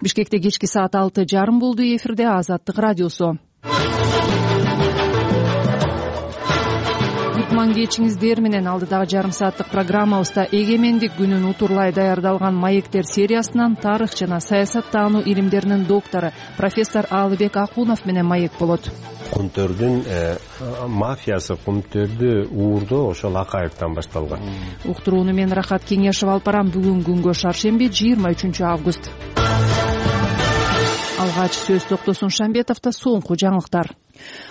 Бишкекте кечки саат 6:30 болду. Эфирде Азаттык радиосу. Кутман кечиңиздер менен алдыдагы жарым сааттык программабызда эгемендик күнүн утурлай даярдалган маектер сериясынан тарых жана саясаттануу илимдеринин доктору профессор Алыбек Акунов менен маек болот. Кумтөрдүн мафиясы, Кумтөрдү уурдоо ошол Акаевден башталган. Уктурууну мен Рахат Кеңешов алып барам. Бүгүн күнгө шаршемби 23 август. Алгач сөз Токтосун Шамбетовдо соңку жаңылыктар.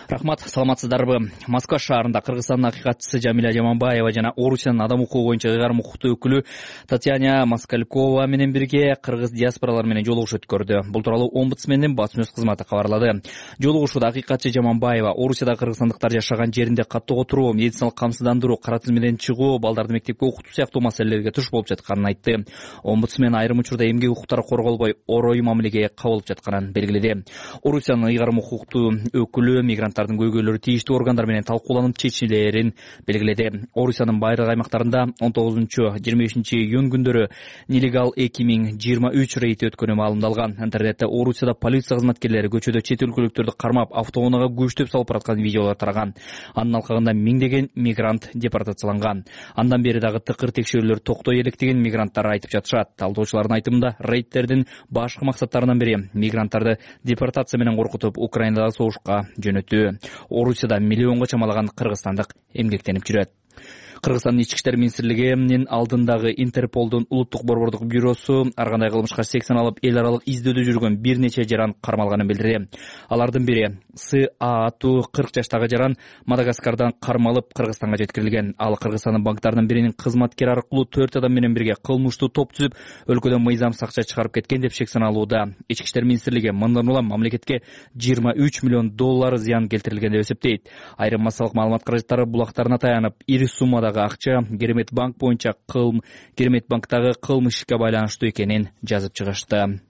Рахмат, саламатсыздарбы? Москва шаарында Кыргызстандын акыйкатчысы Жамиля Жаманбаева жана Орусиянын адам укугу боюнча ыйгарым укуктуу өкүлү Татьяна Москалькова менен бирге кыргыз диаспоралары менен жолугуш өткөрдү. Бул тууралуу омбудсмендин басма сөз кызматы кабарлады. Жолугушууда акыйкатчы Жаманбаева Орусияда кыргызстандыктар жашаган жеринде каттоого туруу, медициналык камсыздандыруу, кара тизмеден чыгуу, балдарды мектепке окутуу сыяктуу маселелерге туш болуп жатканын айтты. Омбудсмен айрым учурда эмгек укуктары корголбой, орой мамилеге кабылып жатканын белгиледи. Орусиянын ыйгарым укуктуу өкүлү мигранттардын көйгөйлөрү тийиштүү органдар менен талкууланып чечилерин белгиледи. Орусиянын байыркы аймактарында 19-25 июнь күндөрү нелегал 2023 рейд өткөнү маалымдалган. Интернетте Орусияда полиция кызматкерлери көчөдө чет өлкөлүктөрдү кармап, автоунаага күчтөп салып бараткан видеолор тараган. Анын алкагында миңдеген мигрант депортацияланган. Андан бери дагы тыкыр текшерүүлөр токтой элек деген мигранттар айтып жатышат. Талдоочулардын айтымында рейдтердин башкы максаттарынын бири мигранттарды депортация менен коркутуп Украинадагы согушка жөнөтүү. Орусияда миллионго чамалаган кыргызстандык эмгектенип жүрөт. Кыргызстандын ички иштер министрлигинин алдындагы Интерполдун улуттук борбордук бюросу ар кандай кылмышка сексен алып эл аралык издөөдө жүргөн бир нече жаран кармалганын билдирди. Алардын бири аттуу 40 жаштагы жаран Мадагаскардан кармалып Кыргызстанга жеткирилген. Ал Кыргызстандын банктарынын биринин кызматкери аркылуу 4 адам менен бирге кылмыштуу топ түзүп, өлкөдөн мыйзамсыз акча чыгарып кеткен деп шек саналууда. Ички иштер министрлиги мындан улам мамлекетке 23 миллион доллар зыян келтирилген деп эсептейт. Айрым массалык маалымат каражаттары булактарына таянып, ири суммада акча Керемет банк боюнча Керемет банктагы кылмыш ишке байланыштуу экенин жазып чыгышты.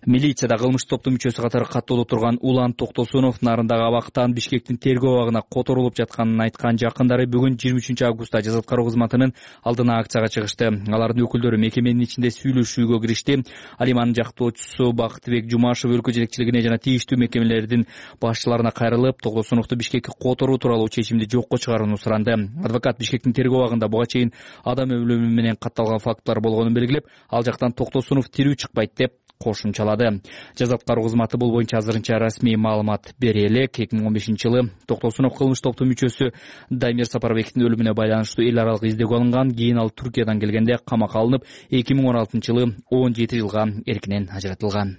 Милицияда кылмыш топтун мүчөсү катары каттоодо турган Улан Токтосунов нарындагы абактан Бишкектин тергөө абагына которулуп жатканын айткан жакындары бүгүн 23 августта жаза аткаруу кызматынын алдына акцияга чыгышты. Алардын өкүлдөрү мекеменин ичинде сүйлөшүүгө киришти. Алиманын жактоочусу Бактыбек Жумашев өлкө жетекчилигине жана тийиштүү мекемелердин башчыларына кайрылып, Токтосуновду Бишкекке которуу тууралуу чечимди жокко чыгарууну суранды. Адвокат Бишкектин тергөө абагында буга чейин адам өлүмү менен катталган фактылар болгонун белгилеп, ал жактан Токтосунов тирүү чыкпайт деп кошумчалады. Жаза аткаруу кызматы бул боюнча азырынча расмий маалымат бере элек. 2015-жылы Токтосунов кылмыш топтун мүчөсү Дамир Сапарбектин өлүмүнө байланыштуу эл аралык издөөгө алынган. Кийин ал Түркиядан келгенде камакка алынып, 2016-жылы 17 жылга эркинен ажыратылган.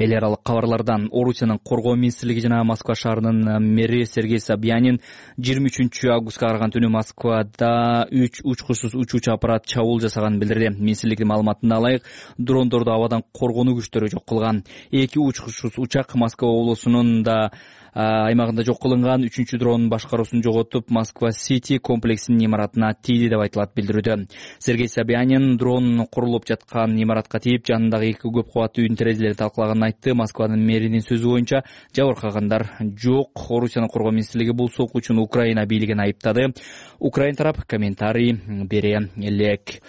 Эл аралык кабарлардан Орусиянын коргоо министрлиги жана Москва шаарынын мэри Сергей Собянин 23 августка караган түнү Москвада 3 учкучсуз учуучу аппарат чабуул жасаганын билдирди. Министрликтин маалыматына ылайык, дрондорду абадан коргонуу күчтөрү жок кылган. 2 учкучсуз учак Москва облусунун да аймагында жок кылынган. 3-чү дронун башкаруусун жоготуп, Москва-Сити комплексинин имаратына тийди деп айтылат билдирүүдө. Сергей Собянин дрон курулуп жаткан имаратка тийип, жанындагы 2 көп кабаттуу үйдүн терезелерин талкалаганын айтты. Москванын мэринин сөзү боюнча жабыркагандар жок. Орусиянын коргоо министрлиги бул сокуучуну Украина бийлигин айыптады. Украин тарап комментарий бере элек.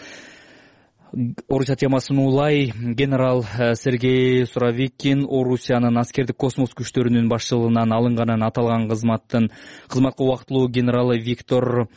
Орусия темасын улай генерал Сергей Суровикин Орусиянын аскердик космос күчтөрүнүн башчылыгынан алынганын аталган кызматка убактылуу генералы Виктор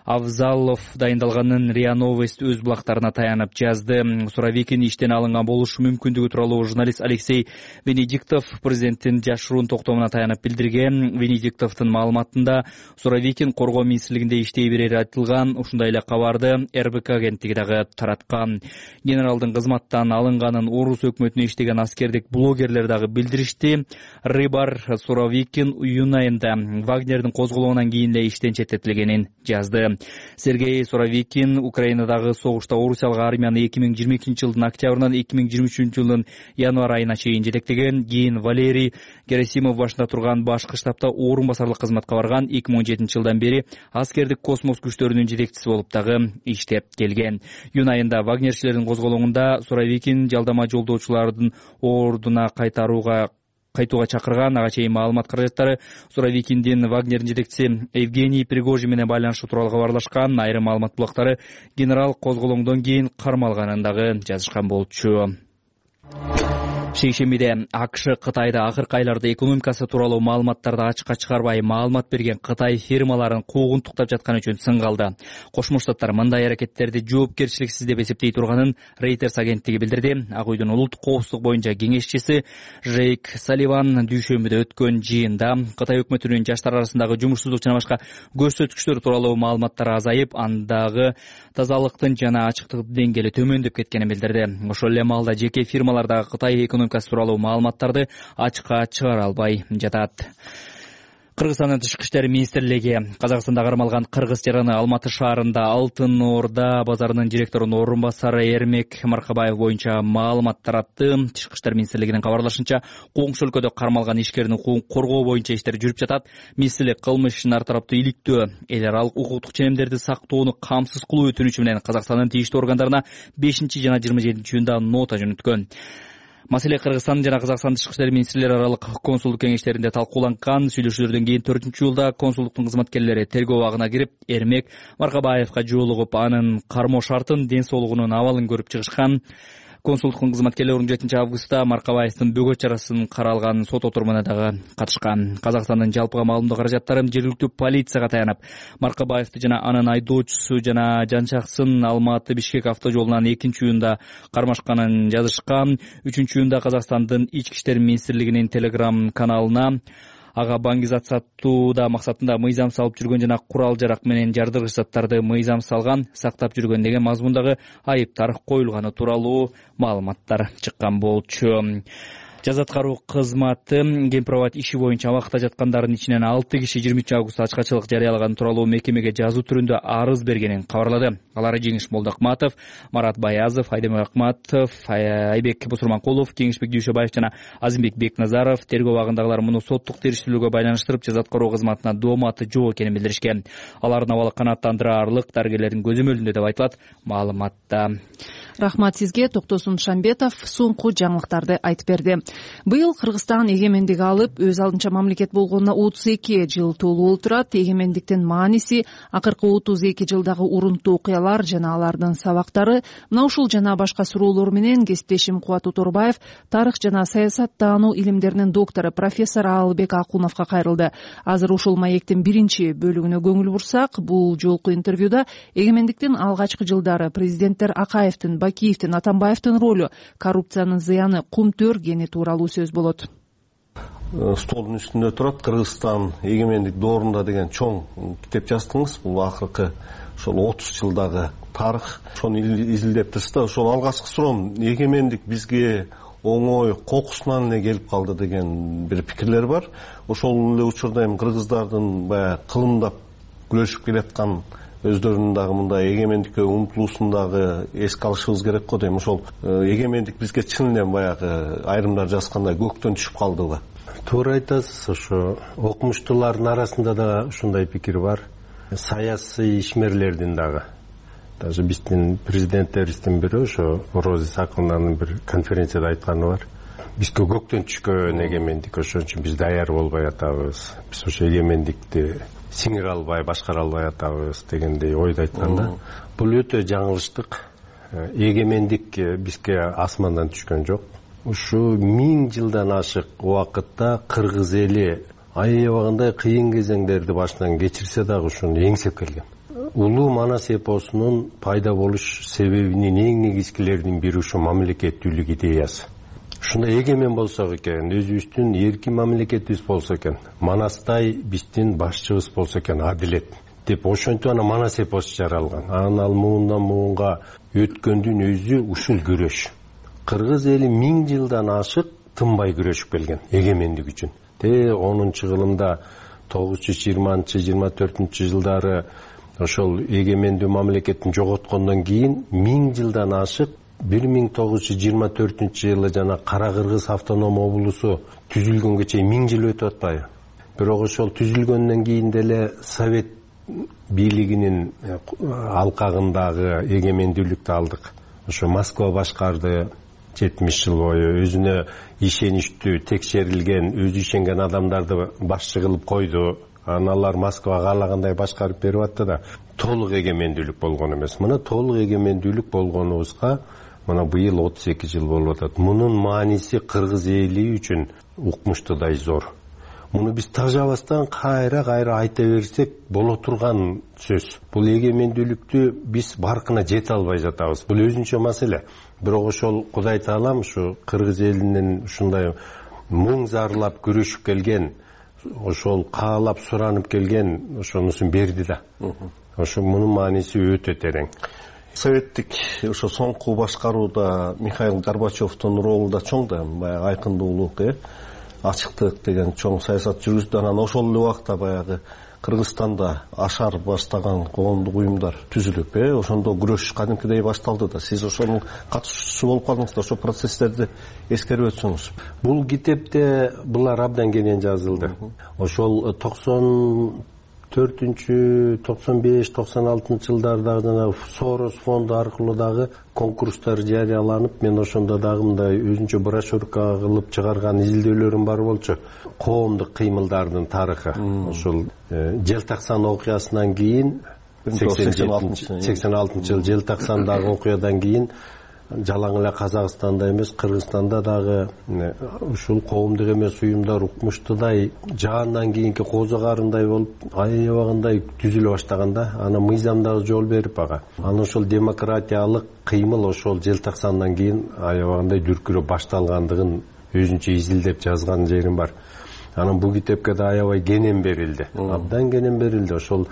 Авзалов дайындалганын РИА Новость өз булактарына таянып жазды. Суровикин иштен алынган болушу мүмкүндүгү тууралуу журналист Алексей Венедиктов президенттин жашыруун токтомуна таянып билдирген. Венедиктовдун маалыматында Суровикин коргоо министрлигинде иштей берери айтылган. Ушундай эле кабарды РБК агенттиги дагы тараткан. Генералдын кызматтан алынганын Орус өкмөтүнө иштеген аскердик блогерлер дагы билдиришти. Рыбар Суровикин июнь айында Вагнердин козголоонан кийин эле иштен четтетилгенин жазды. Сергей Суровикин Украинадагы согушта орусиялык армияны 2022-жылдын октябрынан 2023-жылдын январь айына чейин жетектеген. Кийин Валерий Герасимов башында турган башкы штабта орун басарлык кызматка барган. 2017-жылдан бери аскердик космос күчтөрүнүн жетекчиси болуп дагы иштеп келген. Июнь айында вагнерчилердин козголоонунда Суровикин жалдама жолдоочулардын ордуна кайтууга чакырган. Ага чейин маалымат каражаттары Суровикиндин Вагнердин жетекчиси Евгений Пригожин менен байланышы тууралуу кабарлашкан. Айрым маалымат булактары генерал козголоңдон кийин кармалганын дагы жазышкан болчу. Шейшембиде АКШ Кытайда акыркы айларда экономикасы тууралуу маалыматтарды ачыкка чыгарбай маалымат берген Кытай фирмаларын куугунтуктап жатканы үчүн сынга алды. Кошмо Штаттар мындай аракеттерди жоопкерчиликсиз деп эсептей турганын Reuters агенттиги билдирди. Ак үйдүн улуттук коопсуздук боюнча кеңешчиси Джейк Салливан дүйшөмбүдө өткөн жыйында Кытай өкмөтүнүн жаштар арасындагы жумушсуздук жана башка көрсөткүчтөр тууралуу маалыматтар азайып, андагы тазалыктын жана ачыктыктын деңгээли төмөндөп кеткенин билдирди. Ошол эле маалда жеке фирмалардагы Кытай экономикасы тууралуу маалыматтарды ачыкка чыгара албай жатат. Кыргызстандын Тышкы иштер министрлиги Казакстанда кармалган кыргыз жараны Алматы шаарында Алтын Орда базарынын директорунун орун басары Эрмек Маркабаев боюнча маалымат таратты. Тышкы иштер министрлигинин кабарлашынча, коңшу өлкөдө кармалган ишкердин укугун коргоо боюнча иштер жүрүп жатат. Министрлик кылмыш ишин ар тараптуу иликтөө, эл аралык укуктук ченемдерди сактоону камсыз кылуу өтүнүчү менен Казакстандын тийиштүү органдарына 5 жана 27 июнда нота жөнөткөн. Маселе Кыргызстан жана Казакстан Тышкы иштер министрлери аралык консулдук кеңештеринде талкууланган. Сүйлөшүүлөрдөн кийин 4-июлда консулдуктун кызматкерлери тергөө абагына кирип, Эрмек Маркабаевка жолугуп, анын кармоо шартын, ден соолугунун абалын көрүп чыгышкан. Консулдуктун кызматкерлери 17-августта Маркабаевдин бөгөт чарасын каралган сот отурумуна дагы катышкан. Казакстандын жалпыга маалымдоо каражаттары жергиликтүү полицияга таянып, Маркабаевди жана анын айдоочусу жана жанчаксын Алматы Бишкек автожолунан 2-июнда кармашканын жазышкан. 3-июнда Казакстандын Ички иштер министрлигинин Telegram каналына ага баңгизат сатууда максатында мыйзам салып жүргөн жана курал-жарак менен жардыргыч заттарды мыйзам салган, сактап жүргөн деген мазмундагы айыптар коюлганы тууралуу маалыматтар чыккан болчу. Жаза аткаруу кызматы Гемпровод иши боюнча абакта жаткандардын ичинен 6 киши 23-августта ачкачылык жарыялаган тууралуу мекемеге жазуу түрүндө арыз бергенин кабарлады. Алар Жеңиш Молдокматов, Марат Баязов, Айдемир Акматов, Айбек Бусурманкулов, Кеңешбек Дүйшөбаев жана Азимбек Бекназаров. Тергөө абагындагылар муну соттук териштирүүгө байланыштырып, жаза аткаруу кызматына дооматы жок экенин билдиришкен. Алардын абалы канааттандыраарлык, дарыгерлердин көзөмөлүндө деп айтылат маалыматта. Рахмат сизге. Токтосун Шамбетов соңку жаңылыктарды айтып берди. Быйыл Кыргызстан эгемендик алып, өз алдынча мамлекет болгонуна 32 жыл толуп отурат. Эгемендиктин мааниси, акыркы 32 жылдагы урунттуу окуялар жана алардын сабактары. Мына ушул жана башка суроолор менен кесиптешим Кубат Уторбаев тарых жана саясаттануу илимдеринин доктору профессор Алыбек Акуновго кайрылды. Азыр ушул маектин биринчи бөлүгүнө көңүл бурсак, бул жолку интервьюда эгемендиктин алгачкы жылдары президенттер Акаевдин, Бакиевдин, Атамбаевдин ролу, коррупциянын зыяны, кумтөр кени тууралуу сөз болот. Столдун үстүндө турат Кыргызстан эгемендик доорунда деген чоң китеп жаздыңыз. Бул акыркы ошол 30 жылдагы тарых. Ошону изилдептирсиз да. Ошол алгачкы суроом, эгемендик бизге оңой кокусунан эле келип калды деген бир пикирлер бар. Ошол эле учурда эми кыргыздардын баягы кылымдап күрөшүп келаткан өздөрүнүн дагы мындай эгемендикке умтулуусун дагы эске алышыбыз керек го дейм. Ошол эгемендик бизге чын эле баягы айрымдар жазгандай көктөн түшүп калдыбы? Туура айтасыз. Ошо окумуштуулардын арасында да ушундай пикир бар. Саясий ишмерлердин дагы. Даже биздин президенттерибиздин бири ошо Роза Исаковнанын бир конференцияда айтканы бар. Бизге көктөн түшкөн эгемендик, ошон үчүн биз даяр болбой атабыз. Биз ошо эгемендикти сиңире албай, башкара албай атабыз дегендей ойду айткан да. Бул өтө жаңылыштык. Эгемендик бизге асмандан түшкөн жок. Ушу 1000 жылдан ашык убакытта кыргыз эли аябагандай кыйын кезеңдерди башынан кечирсе дагы ушуну эңсеп келген. Улуу Манас эпосунун пайда болуш себебинин эң негизгилеринин бири ушу мамлекеттүүлүк идеясы. Ушундай эгемен болсок экен, өзүбүздүн эркин мамлекетибиз болсо экен, Манастай биздин башчыбыз болсо экен, адилет деп ошентип ана Манас эпосу жаралган. Анан ал муундан муунга өткөндүн өзү ушул күрөш. Кыргыз эли 1000 жылдан ашык тынбай күрөшүп келген эгемендик үчүн. 10-кылымда 920-24 жылдары ошол эгемендүү мамлекеттин жоготкондон кийин 1000 жылдан ашык 1924 жылы жана Кара Кыргыз автоном облусу түзүлгөнгө чейин 1000 жыл өтүп атпайбы? Бирок ошол түзүлгөндөн кийин деле Совет бийлигинин алкагындагы эгемендүүлүктү алдык. Ошо Москва башкарды 70 жыл бою, өзүнө ишеничтүү, текшерилген, өзү ишенген адамдарды башчы кылып койду. Аналар Москва каалагандай башкарып берип атты да, толук эгемендүүлүк болгон эмес. Мына толук эгемендүүлүк болгонубузга мына быйыл 32 жыл болуп атат. Мунун мааниси кыргыз эли үчүн укмуштуудай зор. Муну биз тажабастан кайра айта берсек боло турган сөз. Бул эгемендүүлүктү биз баркына жете албай жатабыз. Бул өзүнчө маселе. Бирок ошол Кудай Таалам ушу кыргыз элинин ушундай муң зарлап күрөшүп келген, ошол каалап суранып келген ошонусун берди да. Ошо мунун мааниси өтө терең. Советтик ошо соңку башкарууда Михаил Горбачевдун ролу да чоң да, баягы айкындуулук, ачыктык деген чоң саясат жүргүздү. Анан ошол эле убакта баягы Кыргызстанда ашар баштаган коомдук уюмдар түзүлүп, ошондо күрөш кадимкидей башталды да. Сиз ошонун катышуучусу болуп калдыңыз да, ошол процесстерди эскерип өтсөңүз. Бул китепте булар абдан кенен жазылды. Ошол 94-95, 96 жылдардагы жана Сорос фонду аркылуу дагы конкурстар жарыяланып, мен ошондо дагы мындай өзүнчө брошюрка кылып чыгарган изилдөөлөрүм бар болчу. Коомдук кыймылдардын тарыхы. Ошол Желтаксан окуясынан кийин 86 жыл Желтаксандагы окуядан кийин жалаң эле Казакстанда эмес, Кыргызстанда дагы ушул коомдук эмес уюмдар укмуштуудай жаандан кийинки козу карындай болуп аябагындай түзүлө баштаганда, аны мыйзам дагы жол берип ага. Анан ошол демократиялык кыймыл ошол Желтаксандан кийин аябагындай дүркүрөп башталгандыгын өзүнчө изилдеп жазган жерим бар. Анан бул китепке да аябай кенен берилди. Абдан кенен берилди. Ошол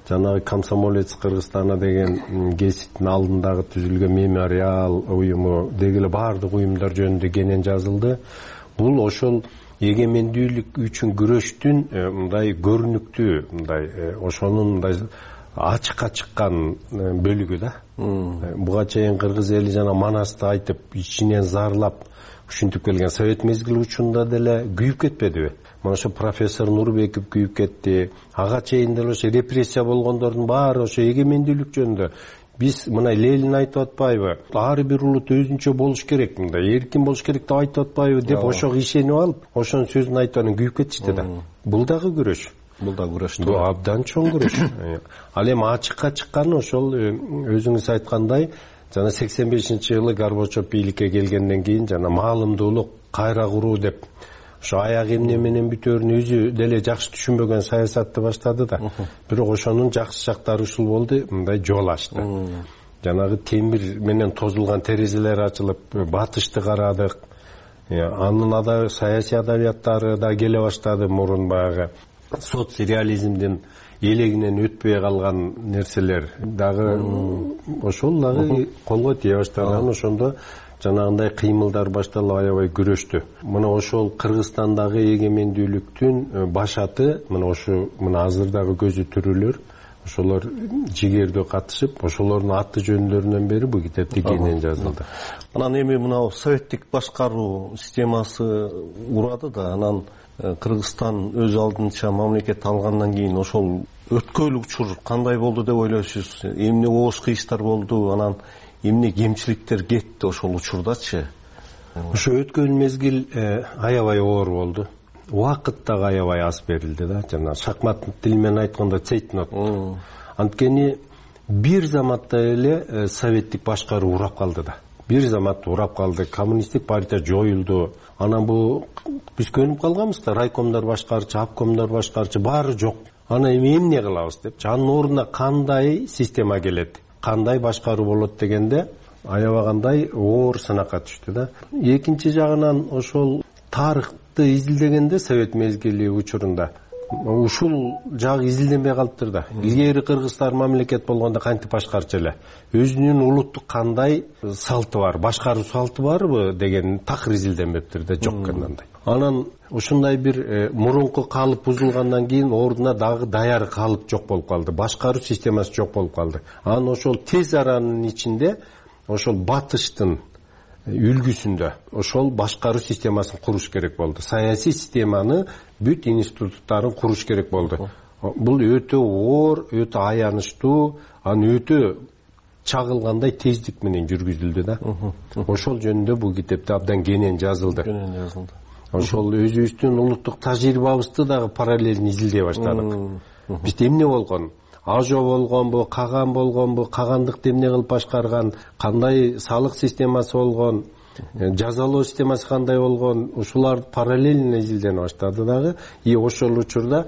жанагы Комсомолец Кыргызстана деген гезиттин алдындагы түзүлгөн мемориал уюму деги эле баардык уюмдар жөнүндө кенен жазылды. Бул ошол эгемендүүлүк үчүн күрөштүн мындай көрүнүктүү, мындай ошонун мындай ачыкка чыккан бөлүгү да. Буга чейин кыргыз эли жана Манасты айтып, ичинен зарлап ушинтип келген совет мезгили учунда деле күйүп кетпедиби? Мына ошо профессор Нурбеков күйүп кетти. Ага чейин деле ошо репрессия болгондордун баары ошо эгемендүүлүк жөнүндө. Биз мына Ленин айтып атпайбы? Ар бир улут өзүнчө болуш керек, мындай эркин болуш керек деп айтып атпайбы деп ошого ишенип алып, ошонун сөзүн айтып анан күйүп кетишти да. Бул дагы күрөш. Бул да күрөш. Бул абдан чоң күрөш. Ал эми ачыкка чыкканы ошол өзүңүз айткандай, жана 85-жылы Горбачев бийликке келгенден кийин жана маалымдуулук кайра куруу деп ошо аяк эмне менен бүтөөрүн өзү деле жакшы түшүнбөгөн саясатты баштады да. Бирок ошонун жакшы жактары ушул болду, мындай жол ачты. Жанагы темир менен тозулган терезелер ачылып, батышты карадык. Анын саясий адабияттары да келе баштады. Мурун баягы соцреализмдин элегинен өтпөй калган нерселер дагы ошол дагы колго тие баштаган. Ошондо жанагындай кыймылдар башталып аябай күрөштү. Мына ошол Кыргызстандагы эгемендүүлүктүн башаты мына ошо азырдагы көзү түрүлөр, ошолор жигердөө катышып, ошолордун аты жөндөрүнөн бери бул китепте кенен жазылды. Анан эми мына советтик башкаруу системасы урады да, анан Кыргызстан өз алдынча мамлекет алгандан кийин ошол өткөйлүк учур кандай болду деп ойлойсуз? Эмне оош кыйыштар болду, анан эмне кемчиликтер кетти ошол учурдачы? Ошо өткөн мезгил аябай оор болду. Убакыт дагы аябай аз берилди да, жана шахмат тили менен айтканда цейтнот. Анткени бир заматта эле советтик башкаруу урап калды да. Бир заматта урап калды, коммунисттик партия жоюлду. Анан бул биз көнүп калганбыз да, райкомдор башкарчы, обкомдор башкарчы баары жок. Анан эмне кылабыз деп, анын ордуна кандай система келет, кандай башкаруу болот дегенде аябагандай оор сынакка түштү да. Экинчи жагынан ошол тарыхты изилдегенде совет мезгили учурунда ушул жагы изилденбей калыптыр да. Илгери кыргыздар мамлекет болгондо кантип башкарчу эле, өзүнүн улуттук кандай салты бар, башкаруу салты барбы деген такыр изилденбептир да, жок кандай. Анан ушундай бир мурунку калып бузулгандан кийин ордуна дагы даяр калып жок болуп калды, башкаруу системасы жок болуп калды. Анан ошол тез аранын ичинде ошол батыштын үлгүсүндө ошол башкаруу системасын куруш керек болду. Саясий системаны, бүт институттарын куруш керек болду. Бул өтө оор, өтө аянычтуу, анан өтө чагылгандай тездик менен жүргүзүлдү да. Ошол жөнүндө бул китепте абдан кенен жазылды. Ошол өзүбүздүн улуттук тажрыйбабызды дагы параллелин изилдей баштадык. Бизде эмне болгон? ажо болгонбу, каган болгонбу, кагандыкты эмне кылып башкарган, кандай салык системасы болгон, жазалоо системасы кандай болгон, ушулар параллельно изилдене баштады дагы. И ошол учурда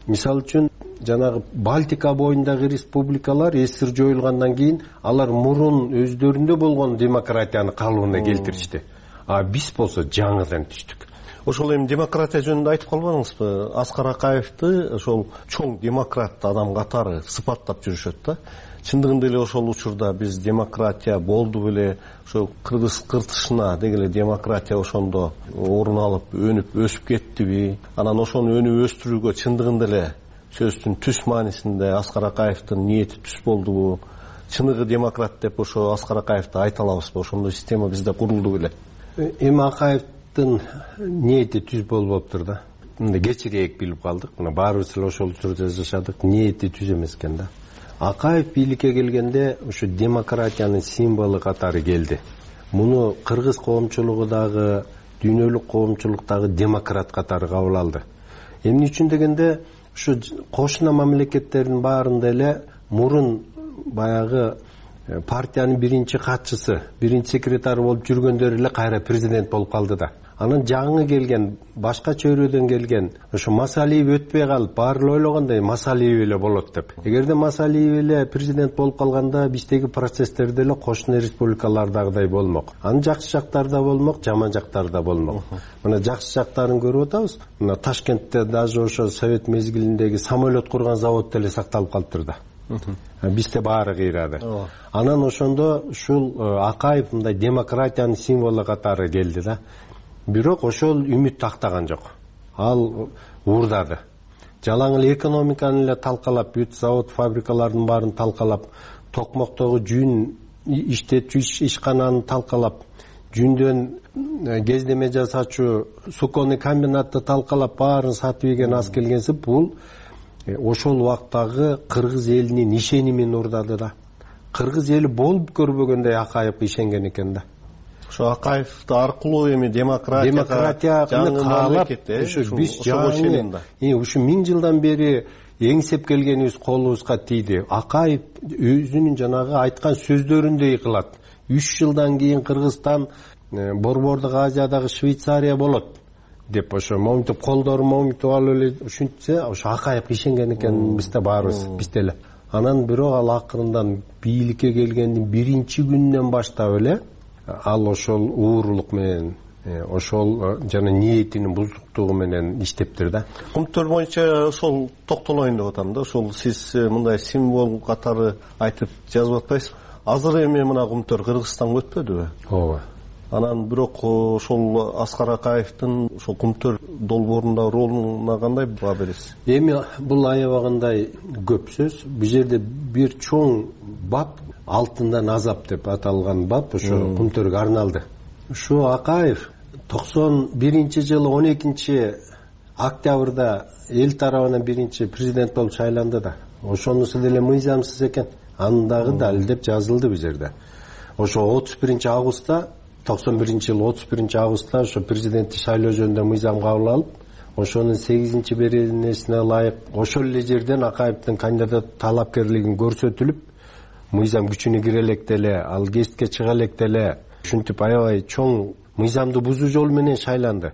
мисалы үчүн жанагы Балтика боюндагы республикалар СССР жоюлгандан кийин алар мурун өздөрүндө болгон демократияны калыбына келтиришти. А биз болсо жаңыдан түштүк. Ошол эми демократия жөнүндө айтып калбадыңызбы? Аскар Акаевди ошол чоң демократ адам катары сыпаттап жүрүшөт да. Чындыгында эле ошол учурда биз демократия болду беле, ошол кыргыз кыртышына дегеле демократия ошондо орун алып, өнүп, өсүп кеттиби? Анан ошону өнүп өстүрүүгө чындыгында эле сөздүн түз маанисинде Аскар Акаевдин ниети түз болдубу? Чыныгы демократ деп ошо Аскар Акаевди айта алабызбы? Ошондой система бизде курулду беле? Эми Акаевдин ниети түз болуптур да. Мындай кечирээк билип калдык. Мына баарыбыз эле ошол учурда жашадык. Ниети түз эмес экен да. Акаев бийликке келгенде ушу демократиянын символу катары келди. Муну кыргыз коомчулугу дагы, дүйнөлүк коомчулук дагы демократ катары кабыл алды. Эмне үчүн дегенде, ушу кошуна мамлекеттердин баарында эле мурун баягы партиянын биринчи катчысы, биринчи секретары болуп жүргөндөр эле кайра президент болуп калды да. Анан жаңы келген, башка чөйрөдөн келген, ошо Масалиев өтпөй калып, баары эле ойлогондой Масалиев эле болот деп. Эгерде Масалиев эле президент болуп калганда, биздеги процесстерде деле кошуна республикалардагыдай болмок. Анын жакшы жактары да болмок, жаман жактары да болмок. Мына жакшы жактарын көрүп атабыз. Мына Ташкентте даже ошо совет мезгилиндеги самолет курган завод деле сакталып калыптыр да. Бизде баары кыйрады. Анан ошондо ушул Акаев мындай демократиянын символу катары келди да. Бирок ошол үмүт тактаган жок. Ал уурдады. Жалаң эле экономиканы эле талкалап, бүт завод, фабрикалардын баарын талкалап, токмоктогу жүн иштетүүчү ишкананы талкалап, жүндөн кездеме жасачу суконный комбинатты талкалап, баарын сатып ийген аз келгенси, бул ошол убактагы кыргыз элинин ишенимин уурдады да. Кыргыз эли болуп көрбөгөндөй Акаев ишенген экен да. Ошо Акаев аркылуу эми демократияны каалап, биз ушу 1000 жылдан бери эңсеп келгенибиз колубузга тийди. Акаев өзүнүн жанагы айткан сөздөрүндөй кылат. 3 жылдан кийин Кыргызстан Борбордук Азиядагы Швейцария болот деп ошо моминтип колдорун моминтип алып эле ушинтсе, ошо Акаев ишенген экен бизде баарыбыз, бизде эле. Анан бирок ал акырындан бийликке келгендин биринчи күнүнөн баштап эле ал ошол уурулук менен, ошол жана ниетинин бузуктугу менен иштептир да. Кумтөр боюнча ошол токтолоюн деп атам да. Ошол сиз мындай символ катары айтып жазып атпайсызбы? Азыр эми мына Кумтөр Кыргызстанга өтпөдүбү? Ооба. Анан бирок ошол Аскар Акаевдин ошол Кумтөр долбоорундагы ролуна кандай баа бересиз? Эми бул аябагандай көп сөз. Бул жерде бир чоң бап, алтындан азап деп аталган бап ошо Кумтөргө арналды. Ушу Акаев 91-жылы 12 октябрда эл тарабынан биринчи президент болуп шайланды да. Ошонусу деле мыйзамсыз экен. Андагы дал деп жазылды бул жерде. Ошо 31-августта 91-жылы 31-августта ошо президентти шайлоо жөнүндө мыйзам кабыл алып, ошонун 8-беренесине ылайык ошол эле жерден Акаевдин кандидат талапкерлигин көрсөтүлүп, мыйзам күчүнө кире электе эле, ал кесипке чыга электе эле ушинтип аябай чоң мыйзамды бузуу жолу менен шайланды.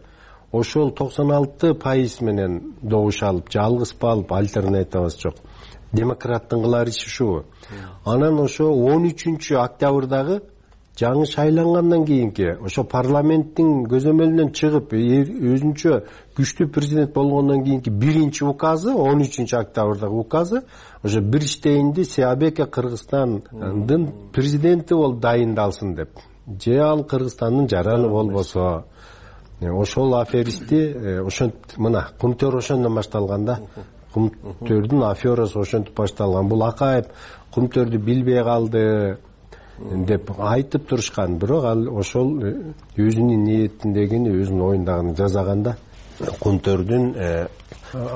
Ошол 96% менен добуш алып, жалгызбы алып, альтернативасы жок. Демократтын кылар иши ушубу. Анан ошо 13-октябрдагы жаңы шайлангандан кийинки ошо парламенттин көзөмөлүнөн чыгып, өзүнчө күчтүү президент болгондон кийинки биринчи указы, 13-октябрдагы указы, ошо бир иштейинди Сиабеке Кыргызстандын президенти болуп дайындалсын деп. Же ал Кыргызстандын жараны болбосо. Ошол аферисти ошентип мына Кумтөр ошондон башталган да. Кумтөрдүн аферасы ошентип башталган. Бул Акаев Кумтөрдү билбей калды деп айтып турушкан, бирок ал ошол өзүнүн ниетиндегини, өзүнүн оюндагын жазаганда Кумтөрдүн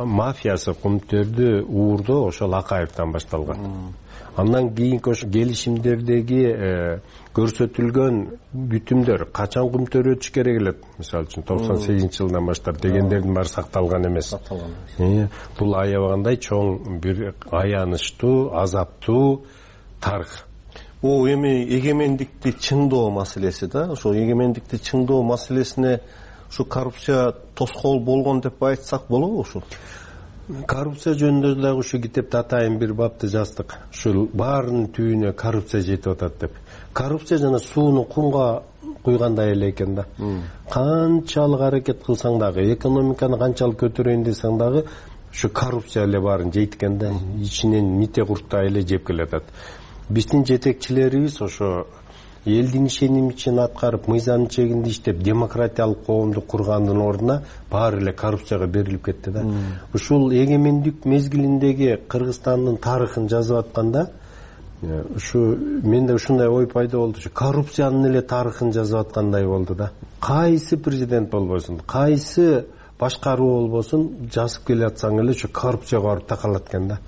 мафиясы, Кумтөрдү уурдоо ошол Акаевден башталган. Андан кийинки ошо келишимдердеги көрсөтүлгөн бүтүмдөр качан көмтөрүлүш керек эле, мисалы үчүн 98-жылдан баштап дегендердин баары сакталган эмес. Бул аябагандай чоң бир аянычтуу, азаптуу тарых. Бул эми эгемендикти чыңдоо маселеси да. Ошо эгемендикти чыңдоо маселесине ушу коррупция тоскоол болгон деп айтсак болобу ушу? Коррупция жөнүндө дагы ушу китепте атайын бир бапты жаздык. Ушул баарынын түбүнө коррупция жетип атат деп. Коррупция жана сууну кумга куйгандай эле экен да. Канчалык аракет кылсаң дагы, экономиканы канчалык көтөрөйүн десең дагы, ушу коррупция эле баарын жейт экен да. Ичинен мите курттай эле жеп келатат. Биздин жетекчилерибиз ошо элдин ишенимин аткарып, мыйзам чегинде иштеп, демократиялык коомду кургандын ордуна баары эле коррупцияга берилип кетти да. Ушул эгемендик мезгилиндеги Кыргызстандын тарыхын жазып атканда, ушу менде ушундай ой пайда болду. Ушу коррупциянын эле тарыхын жазып аткандай болду да. Кайсы президент болбосун, кайсы башкаруу болбосун, жазып келатсаң эле ушу коррупцияга барып такалат экен да.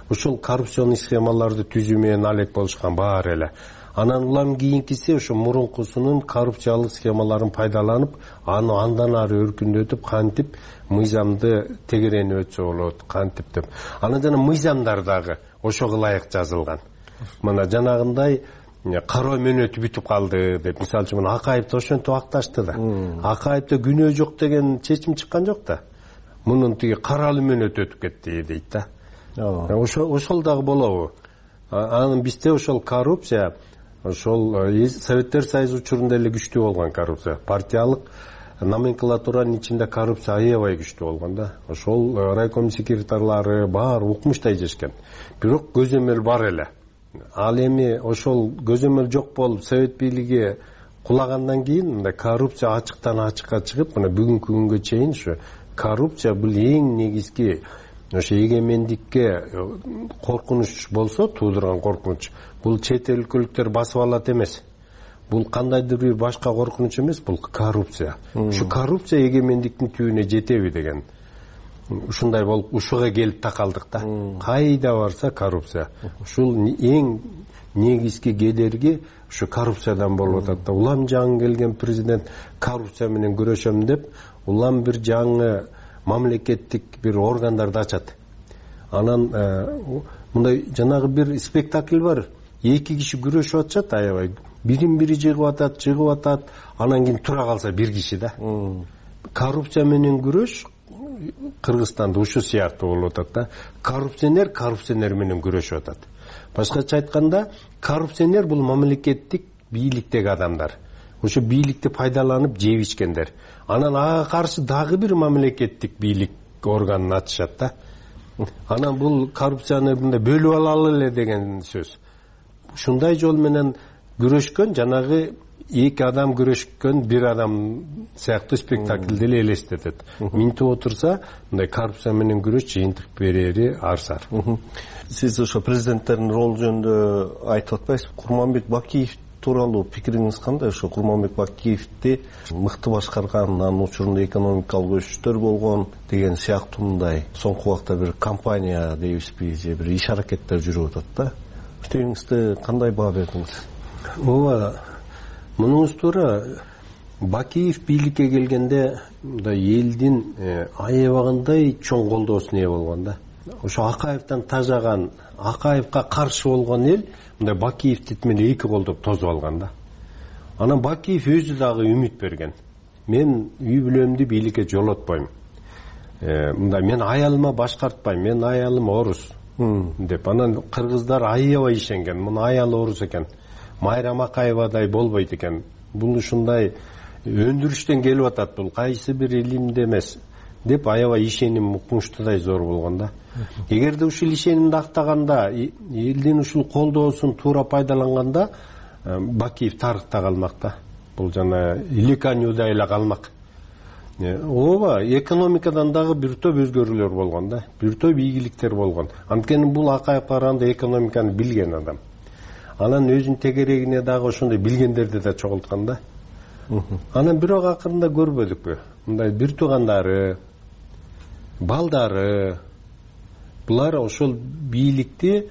Ушул коррупционный схемаларды түзүү менен алек болушкан баары эле. Анан улам кийинкиси ошо мурункусунун коррупциялык схемаларын пайдаланып, аны андан ары өркүндөтүп, кантип мыйзамды тегеренип өтсө болот, кантип деп. Анан жана мыйзамдар дагы ошого ылайык жазылган. Мына жанагындай кароо мөөнөтү бүтүп калды деп, мисалы үчүн Акаевди ошентип акташты да. Акаевде күнөө жок деген чечим чыккан жок да. Мунун тиги каралуу мөөнөтү өтүп кетти дейт да. Ошол дагы болобу? Анын бизде ошол коррупция ошол Советтер Союзу учурунда эле күчтүү болгон коррупция. Партиялык номенклатуранын ичинде коррупция аябай күчтүү болгон да. Ошол райком секретарлары баары укмуштай жешкен. Бирок көзөмөл бар эле. Ал эми ошол көзөмөл жок болуп, совет бийлиги кулагандан кийин мындай коррупция ачыктан ачыкка чыгып, мына бүгүнкү күнгө чейин ушу коррупция бул эң негизги ошо эгемендикке коркунуч болсо, туудурган коркунуч. Бул чет өлкөлүктөр басып алат эмес. Бул кандайдыр бир башка коркунуч эмес, бул коррупция. Ушу коррупция эгемендиктин түбүнө жетеби деген. Ушундай болуп, ушуга келип такалдык да. Кайда барса коррупция. Ушул эң негизги кедерги ушу коррупциядан болуп атат да. Улам жаңы келген президент коррупция менен күрөшөм деп, улам бир жаңы мамлекеттик бир органдарды ачат. Анан мындай жанагы бир спектакль бар. Эки киши күрөшүп атышат аябай. Бирин-бири жыгып атат, анан кийин тура калса бир киши да. Коррупция менен күрөш Кыргызстанда ушу сыяктуу болуп атат да. Коррупционер менен күрөшүп атат. Башкача айтканда, коррупционер бул мамлекеттик бийликтеги адамдар. Ошо бийликти пайдаланып жеп ичкендер. Анан ага каршы дагы бир мамлекеттик бийлик органын ачышат да. Анан бул коррупцияны мындай бөлүп алалы эле деген сөз. Ушундай жол менен күрөшкөн, жанагы эки адам күрөшкөн бир адам сыяктуу спектакльди эле элестетет. Минтип отурса, мындай коррупция менен күрөш жыйынтык берери арсар. Сиз ошо президенттердин ролу жөнүндө айтып атпайсызбы? Курманбек Бакиев тууралуу пикириңиз кандай? Ошо Курманбек Бакиевди мыкты башкарган, анын учурунда экономикалык өсүштөр болгон деген сыяктуундай соңку убакта бир компания дейбизби, же бир иш аракеттер жүрүп атат да. Өтөңүздө кандай баа бердиңиз? Ооба, мунуңуз туура. Бакиев бийликке келгенде мындай элдин аябагандай чоң колдоосуна ээ болгон да. Ошо Акаевден тажаган, Акаевга каршы болгон эл мындай Бакиевди менен эки колдоп тосуп алган да. Анан Бакиев өзү дагы үмүт берген. Мен үй бүлөмдү бийликке жолотпойм. Мындай мен аялыма башкартпайм, мен аялым орус деп. Анан кыргыздар аябай ишенген. Муну аялы орус экен. Майрам Акаевадай болбойт экен. Бул ушундай өндүрүштөн келип атат, бул кайсы бир илимде эмес деп аябай ишеним укмуштуудай зор болгон да. Эгерде ушул ишенимди актаганда, элдин ушул колдоосун туура пайдаланганда, Бакиев тарыхта калмак да. Бул жана Иликанюдай эле калмак. Ооба, экономикадан дагы бир топ өзгөрүүлөр болгон да. Бир топ ийгиликтер болгон. Анткени бул Акаев караганда экономиканы билген адам. Анан өзүнүн тегерегине дагы ошондой билгендерди да чогулткан да. Анан бирок акырында көрбөдүкпү? Мындай бир туугандары, балдары, булар ошол бийликти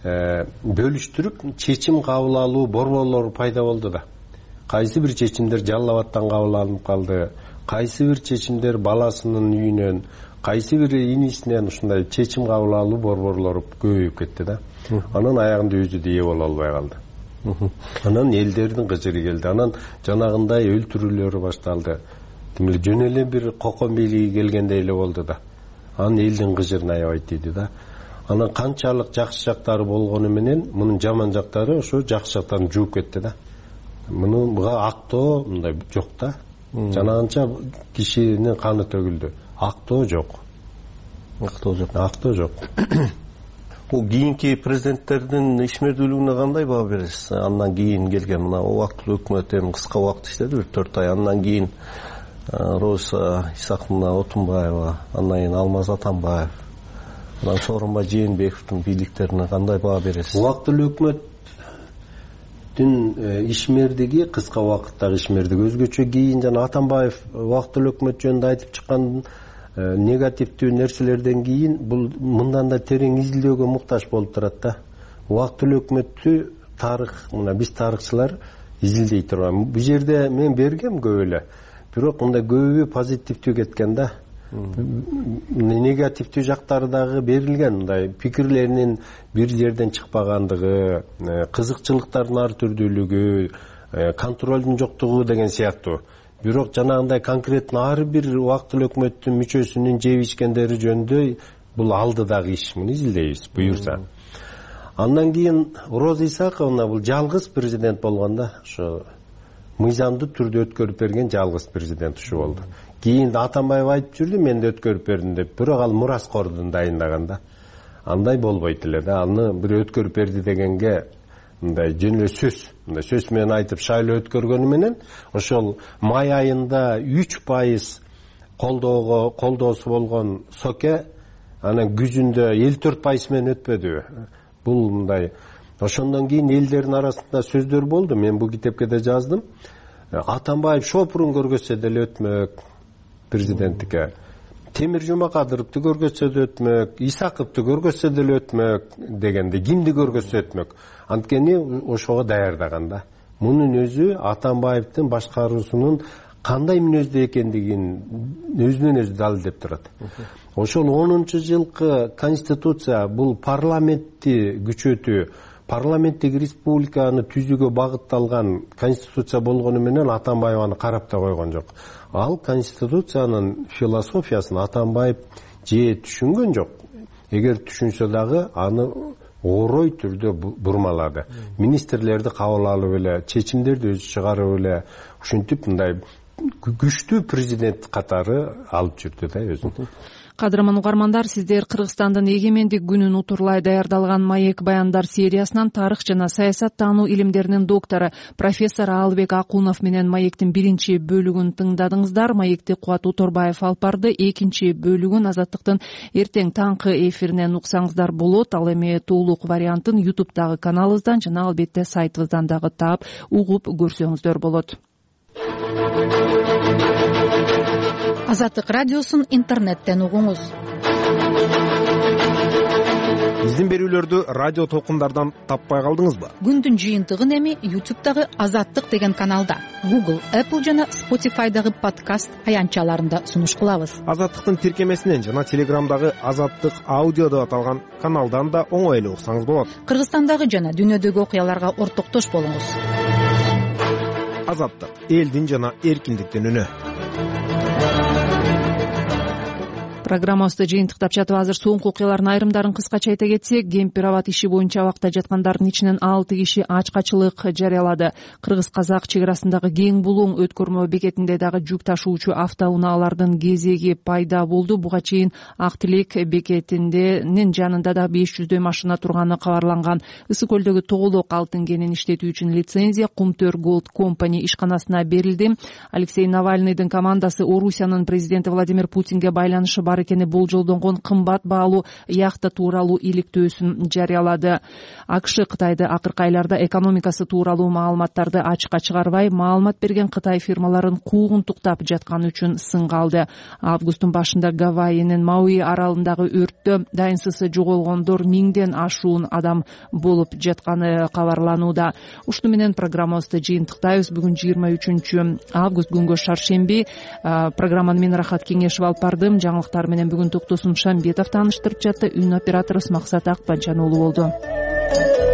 бөлүштүрүп чечим кабыл алуу борборлору пайда болду да. Кайсы бир чечимдер Жалал Абадтан кабыл алынып калды, кайсы бир чечимдер баласынын үйүнөн, кайсы бир инисинен ушундай чечим кабыл алуу борборлору көбөйүп кетти да. Анан аягында өзү да ээ боло албай калды. Анан элдердин кыжыры келди. Анан жанагындай өлтүрүүлөр башталды. Демек жөн эле бир кокон бийлиги келгендей эле болду да. Анан элдин кыжырын аябай тийди да. Анан канчалык жакшы жактары болгону менен мунун жаман жактары ошо жакшы жактарын жууп кетти да. Мунуга актоо мындай жок да. Жанагынча кишинин каны төгүлдү. Актоо жок. Актоо жок. Бул кийинки президенттердин ишмердүүлүгүнө кандай баа бересиз? Андан кийин келген мына убактылуу өкмөт эми кыска убакыт иштеди, бир 4 ай. Андан кийин Роза Исаковна Отунбаева, андан кийин Алмаз Атамбаев, анан Сооронбай Жээнбековдун бийликтерине кандай баа бересиз? Убактылуу өкмөттүн ишмердиги, кыска убакыттагы ишмердиги өзгөчө. Кийин жана Атамбаев убактылуу өкмөт жөнүндө айтып чыккан негативдүү нерселерден кийин бул мындан да терең изилдөөгө муктаж болуп турат да. Убактылуу өкмөттү тарых, мына биз тарыхчылар изилдей турган. Бул жерде мен бергем көп эле. Бирок мындай көбү позитивдүү кеткен да. Негативдүү жактары дагы берилген, мындай пикирлеринин бир жерден чыкпагандыгы, кызыкчылыктардын ар түрдүүлүгү, контролдун жоктугу деген сыяктуу. Бирок жанагындай конкретно ар бир убактылуу өкмөттүн мүчөсүнүн жеп ичкендери жөнүндө бул алдыдагы иш. Муну изилдейбиз буюрса. Андан кийин Роза Исаковна бул жалгыз президент болгон да. Ошо мыйзамдуу түрдө өткөрүп берген жалгыз президент ушу болду. Кийин Атамбаев айтып жүрдү, мен да өткөрүп бердим деп. Бирок ал мураскордун дайындаган да. Андай болбойт эле да. Аны бир өткөрүп берди дегенге мындай жөн эле сөз менен айтып шайлоо өткөргөнү менен ошол май айында 3% колдоосу болгон Соке анан күзүндө 54% менен өтпөдү. Бул мындай. Ошондон кийин элдердин арасында сөздөр болду. Мен бул китепке да жаздым. Атамбаев шопурун көргөзсө деле өтмөк президенттикке. Темир Жумакадыровду көргөзсө да өтмөк, Исаковду көргөзсө деле өтмөк дегенде кимди көргөзсө өтмөк. Анткени ошого даярдаган да. Мунун өзү Атамбаевдин башкаруусунун кандай мүнөздө экендигин өзүнөн өзү далилдеп турат. Ошол 10-жылкы конституция бул парламентти күчөтүү, парламенттик республиканы түзүүгө багытталган конституция болгону менен Атамбаев аны карап да койгон жок. Ал конституциянын философиясын Атамбаев же түшүнгөн жок. Эгер түшүнсө дагы аны орой түрдө бурмалады. Министрлерди кабыл алып эле, чечимдерди өзү чыгарып эле, ушинтип мындай күчтүү президент катары алып жүрдү да өзүн. Кадырман угармандар, сиздер Кыргызстандын эгемендик күнүн утурлай даярдалган маек баяндар сериясынан тарых жана саясаттануу илимдеринин доктору профессор Аалыбек Акунов менен маектин 1 бөлүгүн тыңдадыңыздар. Маекти Кубат Уторбаев алып барды. 2 бөлүгүн Азаттыктын эртең таңкы эфиринен уксаңыздар болот. Ал эми толук вариантын YouTube'дагы каналыбыздан жана албетте сайтыбыздан дагы таап угуп көрсөңүздөр болот. Азаттык радиосун интернеттен угуңуз. Биздин берүүлөрдү радио толкундардан таппай калдыңызбы? Күндүн жыйынтыгын эми YouTube'дагы Азаттык деген каналда, Google, Apple жана Spotify'дагы подкаст аянтчаларында сунуш кылабыз. Азаттыктын тиркемесинен жана Telegram'дагы Азаттык аудио деп аталган каналдан да оңой эле уксаңыз болот. Кыргызстандагы жана дүйнөдөгү окуяларга ортоктош болуңуз. Азаттык — элдин жана эркиндиктин үнү. Программабызды жыйынтыктап жатып азыр соңку окуялардын айрымдарын кыскача айта кетсек, Кемпир Абад иши боюнча абакта жаткандардын ичинен 6 киши ачкачылык жарыялады. Кыргыз-казак чек арасындагы кең булуң өткөрмө бекетинде дагы жүк ташуучу автоунаалардын кезеги пайда болду. Буга чейин Ак Тилек бекетинин жанында да 500 машина турганы кабарланган. Ысык көлдөгү Тоголок алтын кенин иштетүү үчүн лицензия Кумтөр Gold Company ишканасына берилди. Алексей Навальныйдын командасы Орусиянын президенти Владимир Путинге байланышы бар бар экени болжолдонгон кымбат баалуу яхта тууралуу иликтөөсүн жарыялады. АКШ Кытайды акыркы айларда экономикасы тууралуу маалыматтарды ачыкка чыгарбай, маалымат берген Кытай фирмаларын куугунтуктап жатканы үчүн сынга алды. Августтун башында Гавайинин Мауи аралындагы өрттө дайынсыз жоголгондор 1000ден ашуун адам болуп жатканы кабарланууда. Ушуну менен программабызды жыйынтыктайбыз. Бүгүн 23 август күнгө шаршемби. Программаны мен Рахат Кеңешов алып бардым. Жаңылыктар менен бүгүн Токтосун Шамбетов тааныштырып жатты. Үн операторубуз Максат Акпанчан уулу болду.